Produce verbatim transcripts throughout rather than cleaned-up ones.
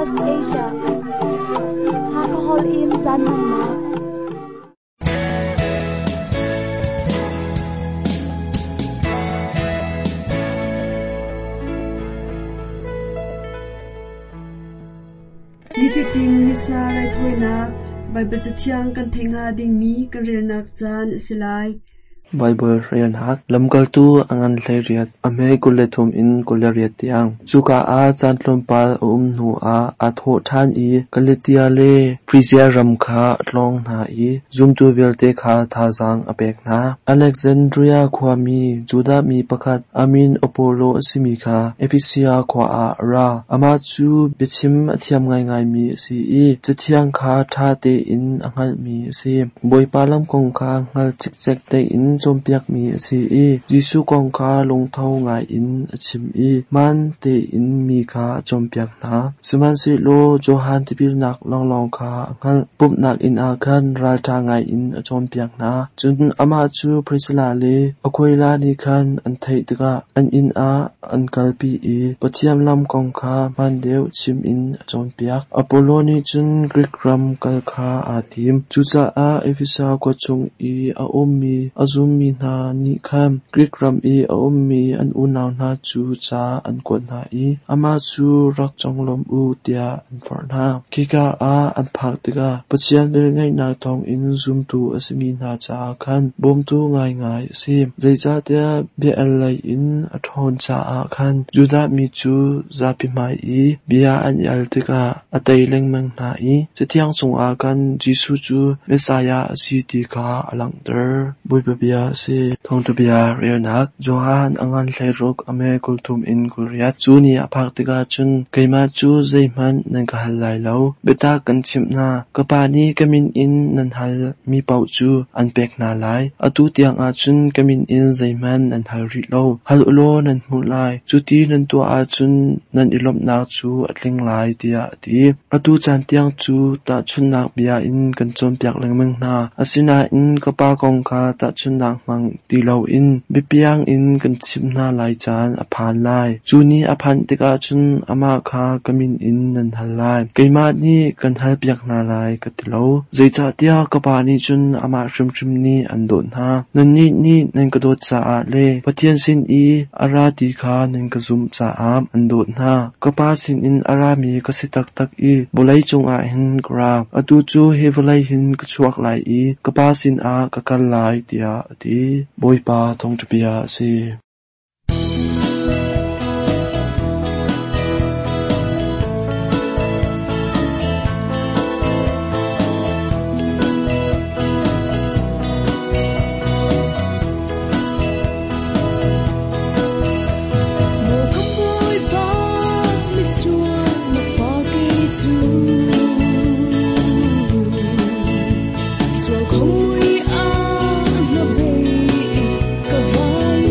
Southwest Asia. Hakahol in caan hmannak. Nifatin Missa raithawinak Baibal Cathiang kan theih hnga dingmi kan relnak caan a si lai. Baibal relnak Lamkaltu a ngan hleiriat, a hme kul le thum in kul le riat tiang. Cuka ah caan tlawmpal a um hnuah aa thawh ṭhan i Galatia le Frizia ram kha a tlawng hna i zumtu vialte kha thazaang a pek hna. Alexandria khuami Judah mi pakhat a min Apollo a simi kha Efesa khua ah a ra. Amah cu biachim a thiam ngaingaimi a si i Cathiang kha ṭha tein a hngalhmi a si. Bawipa lam kong kha hngal cikcek tein cawnpiakmi a si i Jesuh kong kha lungtho ngaiin a chim i hmaan tein mi kha a cawnpiak hna. Sihmanhsehlaw Johan tipilnak lawnglawng kha a hngalh. Pumhnak inn ah khan ralṭha ngaiin a cawnpiak hna. Cun amah cu Prisilla le Aquila nih khan an theih tikah an inn ah an kalpi i Pathian lam kong kha hmaan deuh chim in a cawnpiak. Apollo nih cun Grik ram kal kha aa tim. Cucaah Efesa khua chung i a ummi a zummi hna nih khan Grik ram i a ummi an unau hna cu ca an kuat hna i amah cu rak conglawm u tiah an forh hna. Khika ah an phak tikah Pathian velngeihnak thawngin zumtu a simi hna caah khan bawmtu ngaingai a si. Zeicahtiah bia-al lei in a ṭhawn caah khan Judah mi cu zapi hmai i bia an i al tikah a tei lengmang hna i Cathiang chungah khan Jesuh cu Messiah a si ti kha a langhter. Bawipa bia a si. Thawngṭha bia relnak Johan a ngan hleiruk a hme kul thum in kul riat. Cu ni a phak tikah cun keimah cu zeihmanh nan ka hal lai lo. Biatak kan chimh hna, ka Pa nih ka min in nan halmi paoh cu an pek hna lai. Atu tiangah cun ka min in zeihmanh nan hal rih lo. Hal ulaw nan hmuh lai. Cuti nan tuah ahcun nan i lawmhnak cu a tling lai, tiah a ti. Atu caan tiang cu tahchunhnak bia in kan cawnpiak lengmang hna. Asinain ka Pa kong kha tahchunhnak hmang ti loin biapiang in kan chimh hna lai caan a phan lai. Cu ni a phanh tikah cun amah kha ka min in nan hal lai. Keimah nih kan halpiak hna lai ka ti lo. Zeicahtiah ka Pa nih cun amah hrimhrim nih an dawt hna. Nannih nih nan ka dawt caah le Pathian sin i a ra ti kha nan ka zumh caah an dawt hna. Ka Pa sinin a rami ka si taktak i vawlei cungah hin ka ra. Atu cu hi vawlei hin ka chuak lai i ka Pa sinah ka kal lai, tiah a ti. Bawipa thawngṭha bia a si. Maw ka Bawipa, misual na pa kei cu. Sual khomui ah na bei ka vai.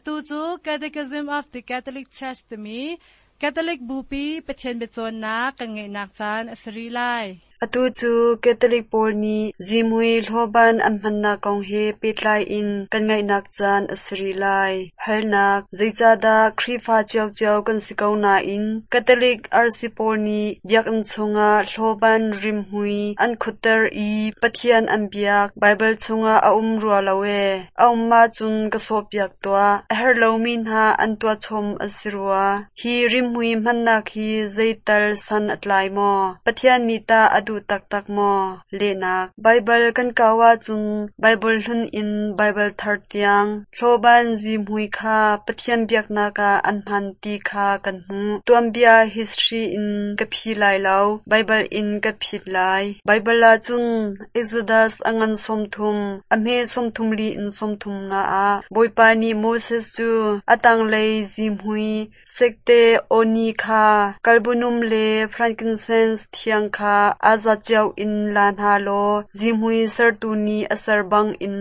Atu cu Catechism of the Catholic Church timi Catholic Bupi Pathian biacawnnak kan ngeihnak caan a si rih lai. Atu cu Catholic pawl nih zihmui hlawban an hmannak kong he pehtlai in kan ngaihnak caan a si rih lai. Halnak: Zeicahdah Khrihfa ciocio kan si ko nain Catholic arsi pawl nih biakinn chungah hlawban rimhmui an khutter i Pathian an biak Baibal chungah a um rua lo ee. A um ahcun ka sawhpiak tuah. A herh lomi hna an tuah chom a si rua. Hi rimhmui hmannak hi zeital san a tlai maw? Pathian nih tah a duh taktak maw? Lehnak: Baibal kan kau ahcun Baibal hlun in Baibal thar tiang hlawban zihmui kha Pathian biaknak ah an hman ti kha kan hmuh. Tuanbia history in ka phi lai lo, Baibal in ka phit lai. Baibal ahcun Exodus a ngan sawmthum, a hme sawmthum li in sawmthum nga ah Bawipa nih Moses cu a tanglei zihmui sekte awni kha galbanum le frankincense thiang kha aa zat cio in la hna law zihmui sertu nih a ser bangin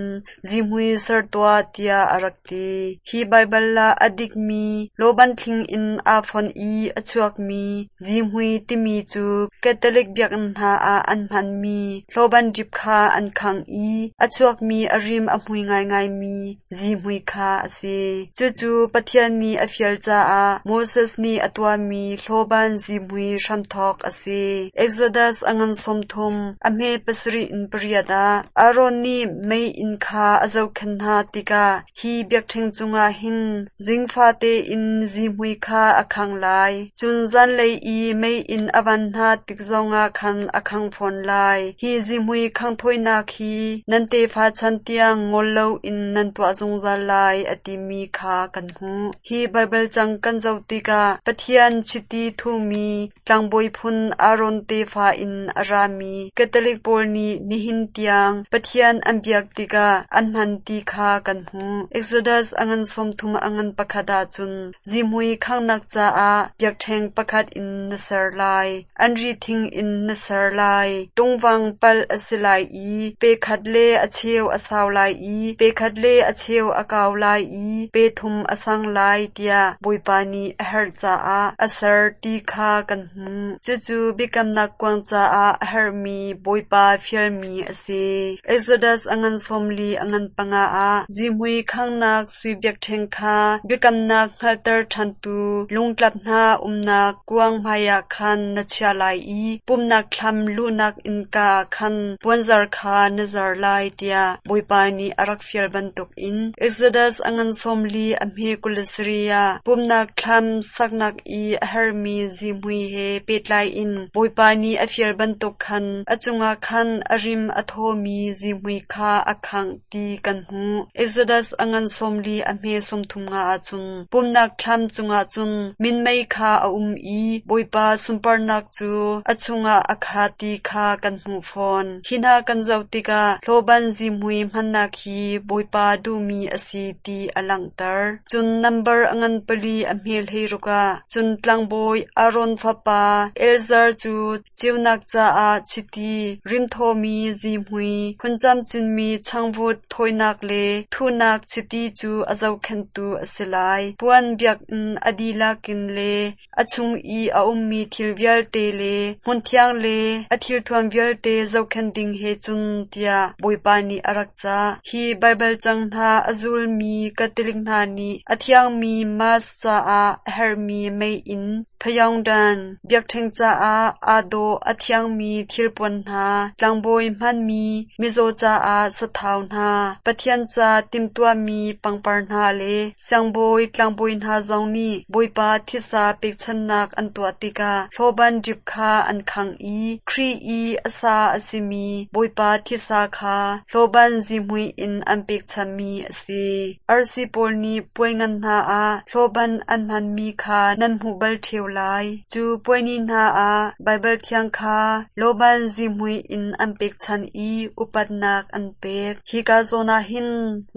zihmui ser tuah tiah a rak ti. Hi Baibal ah a dikmi lawban thling in aa fonh i a chuakmi zihmui timi cu Catholic biakinn hna ah an hmanmi hlawban dip kha an khangh i a chuakmi a rim a hmui ngaingaimi zihmui kha a si. Cucu Pathian nih a fial caah Moses nih a tuahmi hlawban zihmui hramthawk a si. Exodus a ngan sawmthum, a hme pasarih in pariat ah Aaron nih meiinn kha a zohkhenh hna tikah hi biakṭheng cungah hin zingfate in zihmui kha a khangh lai. Cun zanlei i meiinn a van hna tik zongah khan a khangh fawn lai. Hi zihmui khanghthawinak hi nan tefa chan tiang ngol loin nan tuah zungzal lai a timi kha kan hmuh. Hi Baibal cang kan zoh tikah Pathian chiti thuhmi tlangbawi phun Aaron tefa in a rami Catholic pawl nih nihin tiang Pathian an biak tikah an hman ti kha kan hmuh. Exodus a ngan sawmthum a ngan pakhat ahcun zihmui khanghnak caah biakṭheng pakhat in na ser lai. Anri thing in na ser lai. Tungvang palh a si lai i pe khat le a cheu a sau lai i pe khat le a cheu a kau lai i pe thum a sang lai tiah Bawipa nih a herh caah a ser ti kha kan hmuh. Cucu biakamnak kuang caah a herhmi Bawipa fialmi a si. Exodus a ngan sawmli a ngan panga ah zihmui khanghnak sui biakṭheng kha biakamnak hngalhter ṭhantu lungtlap hna umnak kuang hmaiah khan na chiah lai i pumhnak thlam luhnak innka ah khan puanzar kha na zar lai tiah Bawipa nih a rak fial bantukin Exodus a ngan sawmli a hme kul le sarih ah pumhnak thlam saknak i a herhmi zihmui he pehtlai in Bawipa nih a fial bantuk khan a cungah khan a rim a thawmi zihmui kha a khangh ti kan hmuh. Exodus a ngan sawmli a hme sawmthum nga ahcun pumhnak thlam cungah cun minmei kha a um i Bawipa sunparnak cu a chungah a khat ti kha kan hmuh fawn. Hi hna kan zoh tikah hlawban zihmui hmannak hi Bawipa duhmi a si ti a langhter. Cun nambar a ngan pali a hme hleiruk ah cun tlangbawi Aaron fapa Eleazar cu ceunak caah chiti rimthawmi zihmui hun camcinmi changvut thawinak le thuhnak chiti cu a zohkhenhtu a si lai. Puan biakinn a dihlak in le a chung i a ummi thil vialte le hmunthiang le a thilthuam vialte zohkhenh ding he cun tiah Bawipa nih a rak cah. Hi Baibal cang hna a zulmi Catholic hna nih a thiangmi Mass caah a herhmi meiinn, phayawngdan, biakṭheng caah aa dawh a thiangmi thilpuan hna, tlangbawi hmanmi mizaw caah sathau hna, Pathian ca timhtuahmi pangpar hna le siangbawi tlangbawi hna zong nih Bawipa thisa pekchanhnak an tuah tikah hlawban dip kha an khangh i Khrih i a sa a simi Bawipa thisa kha hlawban zihmui in an pekchanhmi a si. Arsi pawl nih puai ngan hna ah hlawban an hmanmi kha nan hmuh bal ṭheo lai. Cu puai ni hna ah Baibal thiang kha lawban zihmui in an pekchanh i upatnak an pek. Hika zawn ah hin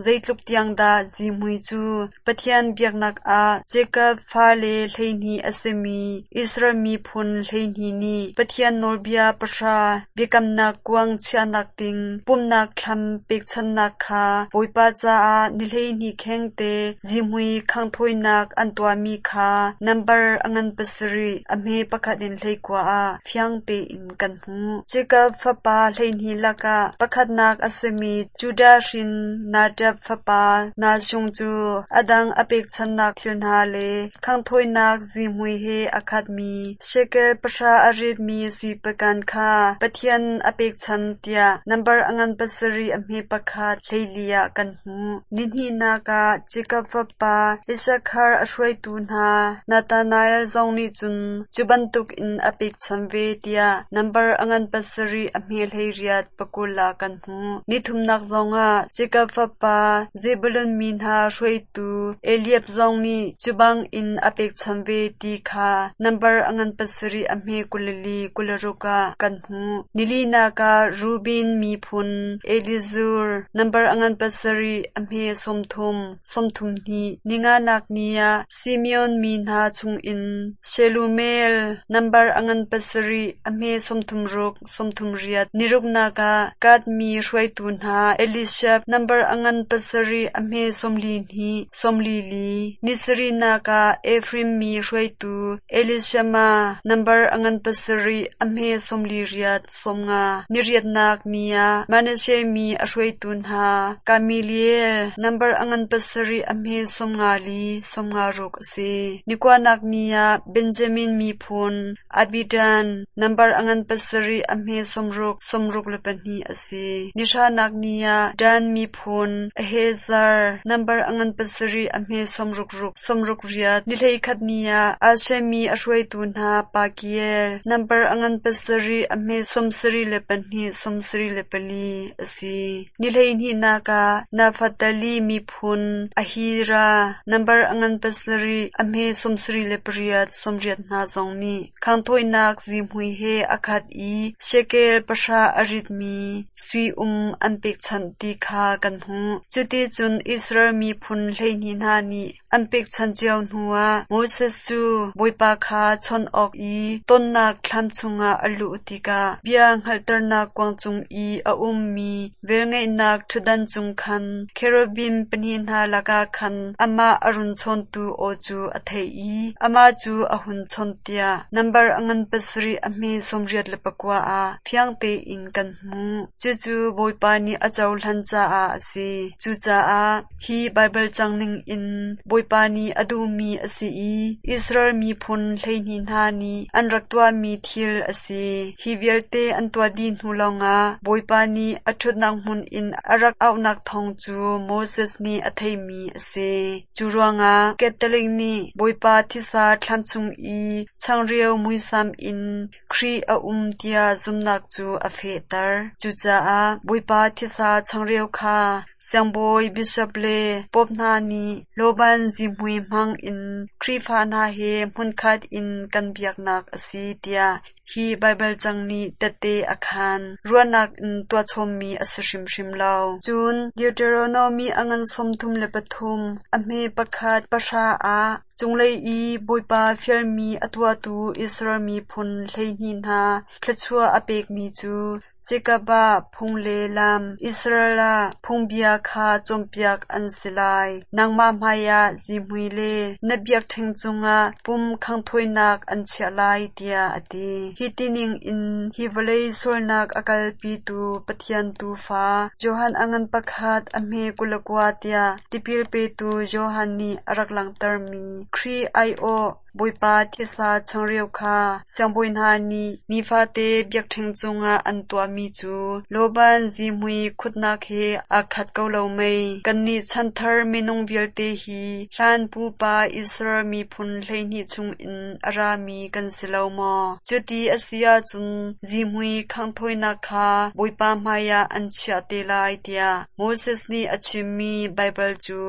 zeitluk tiang dah zihmui cu Pathian biaknak ah Jacob fale hleihnih a simi Israel miphun hleihnih nih Pathian nawlbia pahra biakamnak kuang chiahnak ding pumhnak thlam pekchanhnak kha Bawipa caah ni hleihnih khengte zihmui khanghthawinak an tuahmi kha nambar a ngan pasarih a hme pakhat in hleikua ah fiang tein kan hmuh. Jacob fapa hleihnih lakah pakhatnak a simi Judah hrin Nadab fapa Nahshon cu a dang a pekchanhnak thil hna le khanghthawinak zihmui he a khatmi shekel pahra a ritmi sui pakan kha Pathian a pekchanh tiah nambar a ngan pasarih a hme pakhat hleili ah kan hmuh. Nihnihnak ah Jacob fapa Issakhar a hruaitu hna Nathanael zong nih cun cu bantukin a pekchanh ve tiah nambar a ngan pasarih a hme hleiriat pakul ah kan hmuh. Nithumnak zongah Jacob fapa Zebulun mi hna hruaitu Eliab zong nih cu bangin a pekchanh ve ti kha nambar a ngan pasarih a hme kul le li kul le ruk ah kan hmuh. Nilinak ah Reuben miphun Elizur nambar a ngan pasarih a hme sawmthum sawmthum hnih. Ninganak ni ah Simeon mi hna chungin Shelumiel nambar a ngan pasarih a hme sawmthum ruk sawmthum riat. Niruknak ah Gad mi hruaitu hna Eliashab nambar a ngan pasarih a hme sawmli hnih sawmli li. Nisarihnak ah Efraim mi hruaitu Elishama nambar a ngan pasarih a hme sawmli riat sawmnga. Niriatnak ni ah Manasseh mi a hruaitu hna Gamaliel nambar a ngan pasarih a hme sawmnga li sawmnga ruk a si. Nikuanak ni ah Benjamin miphun Abidan nambar a ngan pasarih a hme sawmruk sawmruk le pahnih a si. Nihranak ni ah Dan miphun Ahiezer nambar a ngan pasarih a hme sawmruk ruk sawmruk riat. Ni hleikhat ni ah Asher mi a hruaitu hna Pagiel nambar a ngan pasarih a hme sawmsarih le pahnih sawmsarih le pali a si. Ni hleihnihnak ah Naftali miphun Ahira nambar a ngan pasarih a hme sawmsarih le pariat sawmriat hna zong nih khanghthawinak zihmui he a khat i shekel pahra a ritmi sui um an pekchanh ti kha kan hmuh. Cuticun Israel miphun hleihnih hna nih an pekchanh cio hnuah Moses cu Bawipa kha chawnh awk i tonnak thlam chungah a luh tikah bia hngalhternak kuang cung i a ummi velngeihnak ṭhutdan cung khan cherubim pahnih hna lakah khan amah a run chawntu aw cu a theih i amah cu a hun chawnh tiah nambar a ngan pasarih a hme sawmriat le pakua ah fiang tein kan hmuh. Cucu Bawipa nih a cohlan caah a si. Cucaah hi Baibal cang ningin Bawipa nih a duhmi a si i Israel miphun hleihnih hna nih an rak tuahmi thil a si. Hi vialte an tuah dih hnu lawngah Bawipa nih a ṭhutnak hmun in a rak auhnak thawng cu Moses nih a theihmi a si. Cu ruangah Catholic nih Bawipa thisa thlam chung i changreu muisam in Khrih a um tiah zumhnak cu a fehter. Cucaah Bawipa thisa changreu kha siangbawi bishop le pope hna nih lawban zihmui hmang in Khrihfa hna he hmunkhat in kan biaknak a si tiah hi Baibal cang nih tehte a khaan. Ruahnak in tuahchommi a si hrimhrim lo. Cun Deuteronomy a ngan sawmthum le pathum a hme pakhat pahra ah cunglei i Bawipa fialmi a tuahtu Israel miphun hleihnih hna thluachuah a pekmi cu Jacob ah phung le lam, Israel ah phungbia kha cawnpiak an si lai. Nangmah hmaiah zihmui le na biakṭheng cungah pum khanghthawinak an chiah lai tiah a ti. Hi tining in hi vawlei sualnak a kalpitu Pathian Tuufa Johan a ngan pakhat a hme kul le kua tiah tipil petu Johan nih a rak langhtermi Khrih aiawh Bawipa thisa changreu kha siangbawi hna nih nifate biakṭheng cungah an tuahmi mi cu lawban zihmui khutnak he aa khat ko lo mei? Kannih chanthar minung vialte hi hlan pupa Israel miphun hleihnih chungin a rami kan si lo maw? Cuti a si ahcun zihmui khanghthawinak kha Bawipa hmaiah an chiah te lai tiah Moses nih a chimmi Baibal cu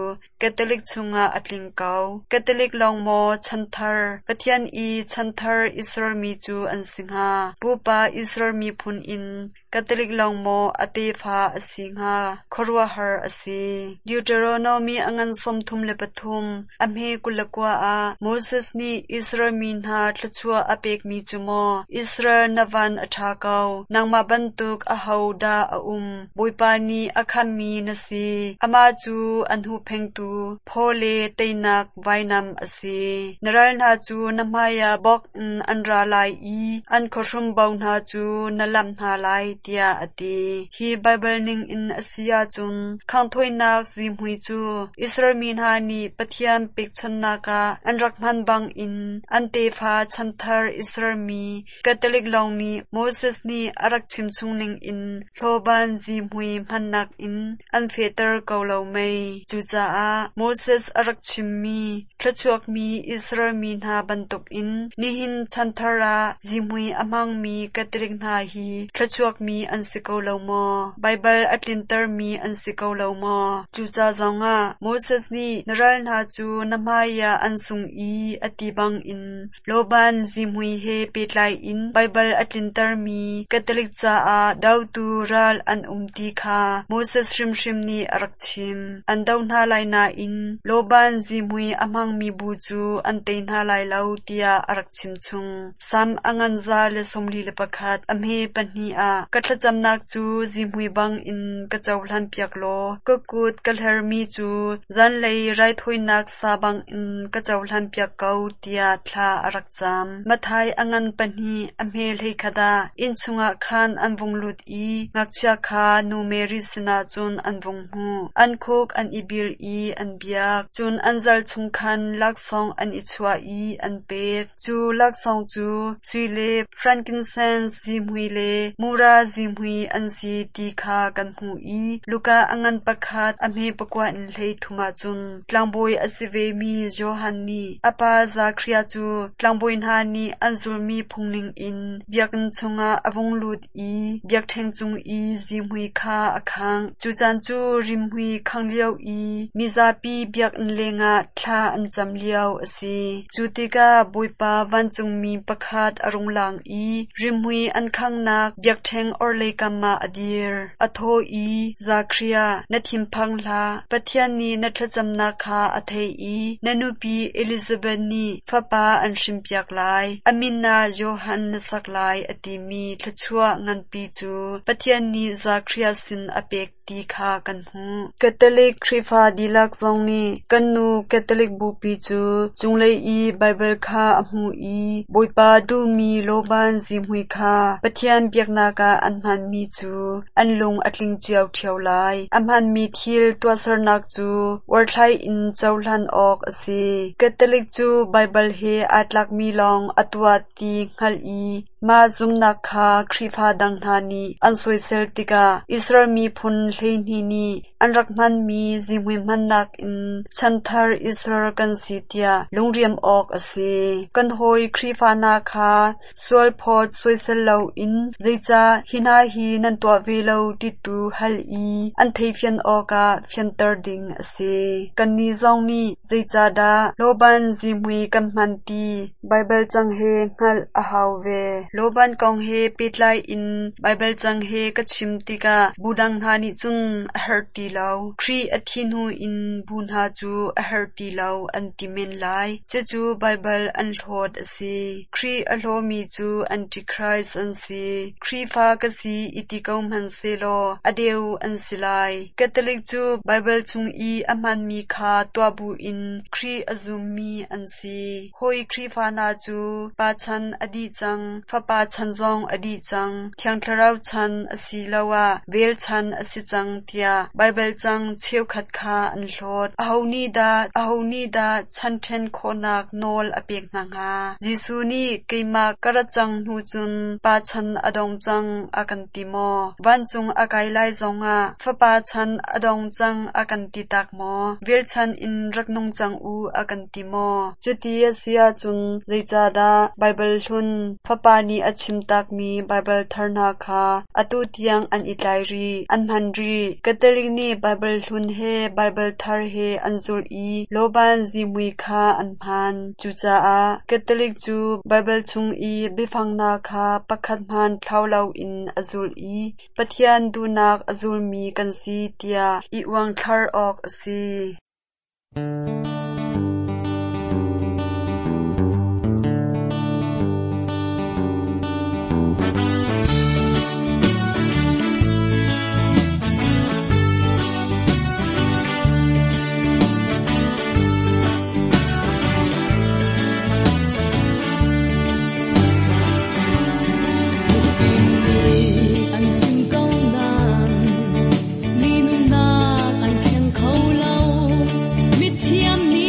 Catholic chungah a tling ko. Catholic lawng maw chanthar Pathian i chanthar Israel mi cu an si hnga? Pupa Israel miphun in Catholic lawng maw a tefa a si hnga? Khuaruahhar a si. Deuteronomy a ngan sawmthum le pathum a hme kul le kua ah Moses nih Israel mi hna thluachuah a pekmi cu maw Israel na van a ṭha ko, nangmah bantuk aho dah a um? Bawipa nih a khammi na si. Amah cu an huhphengtu phaw le teinak vainam a si. Na ral hna cu na hmaiah bawk in an ra lai i an khuahrum bo hna cu na lamh hna lai tiah a ti. Hi Baibal ningin a si ahcun khanghthawinak zihmui cu Israel mi hna nih Pathian pekchanhnak ah an rak hman bangin an tefa chanthar Israel mi Catholic lawng nih Moses nih a rak chimchung ningin hlawban zihmui hmannak in an fehter ko lo mei? Cucaah Moses a rak chimmi thluachuakmi Israel mi hna bantukin nihin chanthar ah zihmui a hmangmi Catholic hna hi thluachuakmi an si ko lo maw? Baibal a tlintermi an si ko lo maw? Cuca zongah Moses nih na ral hna cu na hmaiah an sung i a ti bangin lawban zihmui he pehtlai in Baibal a tlintermi Catholic caah dotu ral an um ti kha Moses hrimhrim nih a rak chim. An do hna lai nain lawban zihmui a hmangmi bu cu an tei hna lai lo tiah a rak chimchung. Sam a ngan za le sawmli le pakhat a hme pahnih ah ka thlacamnak cu zihmui bangin ka cohlan piak law ka kut ka hlermi cu zanlei raithawinak sa bangin ka cohlan piak ko tiah thla a rak cam. Matthai a ngan pahnih a hme hleikhat ah inn chungah khan an vung lut i ngakchia kha nu Mary sinah cun an vung hmuh. An khuk an i bil i an biak. Cun an zal chung khan laksawng an i chuah i an pek. Cu laksawng cu sui le frankincense zihmui le mura zihmui an si ti kha kan hmuh i Luka a ngan pakhat a hme pakua in hleithum ah cun tlangbawi a si vemi Johan nih a pa Zakhariah cu tlangbawi hna nih an zulmi phung ningin biakinn chungah a vung lut i biakṭheng cung i zihmui kha a khangh. Cu caan cu rimhmui khangh lio i mizapi biakinn lengah thla an cam lio a si. Cu tikah Bawipa vancungmi pakhat a rung lang i rimhmui an khanghnak biakṭheng orhlei kam ah a dir. A thaw i, Zakhariah, na thinphang hlah. Pathian nih na thlacamnak kha a theih i na nupi Elizabeth nih fapa an hrinpiak lai. A min ah Johan na sak lai a timi thluachuah nganpi cu Pathian nih Zakhariah sin a pek ti kha kan hmuh. Catholic Khrihfa dihlak zong nih kan nu Catholic Bupi cu cunglei i Baibal kha a hmuh i Bawipa duhmi lawban zihmui kha Pathian biaknak ah an hmanmi cu an lung a tling cio ṭheo lai. A hmanmi thil tuahsernak cu uarthlai in cohlan awk a si. Catholic cu Baibal he aa tlakmi lawng a tuah ti hngalh i mah zumhnak kha Khrihfa dang hna nih an soisel tikah Israel miphun hleihnih nih an rak hmanmi zihmui hmannak in chanthar Israel kan si tiah lungriam awk a si. Kan hawi Khrihfa hna kha sualphawt soisel loin zeicah hi hna hi nan tuah ve lo ti tu hal i an theihfian awkah fianter ding a si. Kannih zong nih zeicahdah lawban zihmui kan hman ti Baibal cang he hngalh a hau ve. Lawban kong he pehtlai in Baibal cang he ka chim tikah bu dang hna nih cun a herh ti lo. Khrih a thi hnu in bu hna cu a herh ti lo an ti men lai. Cucu Baibal an hlawt a si. Khrih a hlawmi cu Antichrist an si. Khrihfa ka si i ti ko hmanhsehlaw a deu an si lai. Catholic cu Baibal chung i a hmanmi kha tuah buin Khrih a zummi an si. Hawi Khrihfa hna cu pa chan a dih cang, Fapa chan zong a dih cang, Thiang Thlarau chan asiloah vel chan a si cang tiah Baibal cang cheukhat kha an hlawt. Aho nih dah aho nih dah chan ṭhen khawhnak nawl a pek hna hnga? Jesuh nih keimah ka rat cang hnu cun Pa chan a dong cang a kan ti maw? Vancung a kai lai zongah Fapa chan a dong cang a kan ti tak maw? Vel chan in rak nung cang u a kan ti maw? Cuti a si ahcun zeicahdah Baibal hlun Fapa nih a chim takmi Baibal thar hna kha atu tiang an i tlai rih, an hman rih? Catholic nih Baibal hlun he Baibal thar he an zulh i lawban zihmui kha an hman. Cucaah Catholic cu Baibal chung i biafang hna kha pakhat hmanh thlau loin a zulh i Pathian duhnak a zulmi kan si tiah i uangthlar awk a si. An chim ko nain mi nunnak an thleng kho lo. Mithiam nih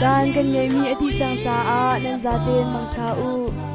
Caan kan ngeihmi a dih cang caah nan zaten mangṭha u.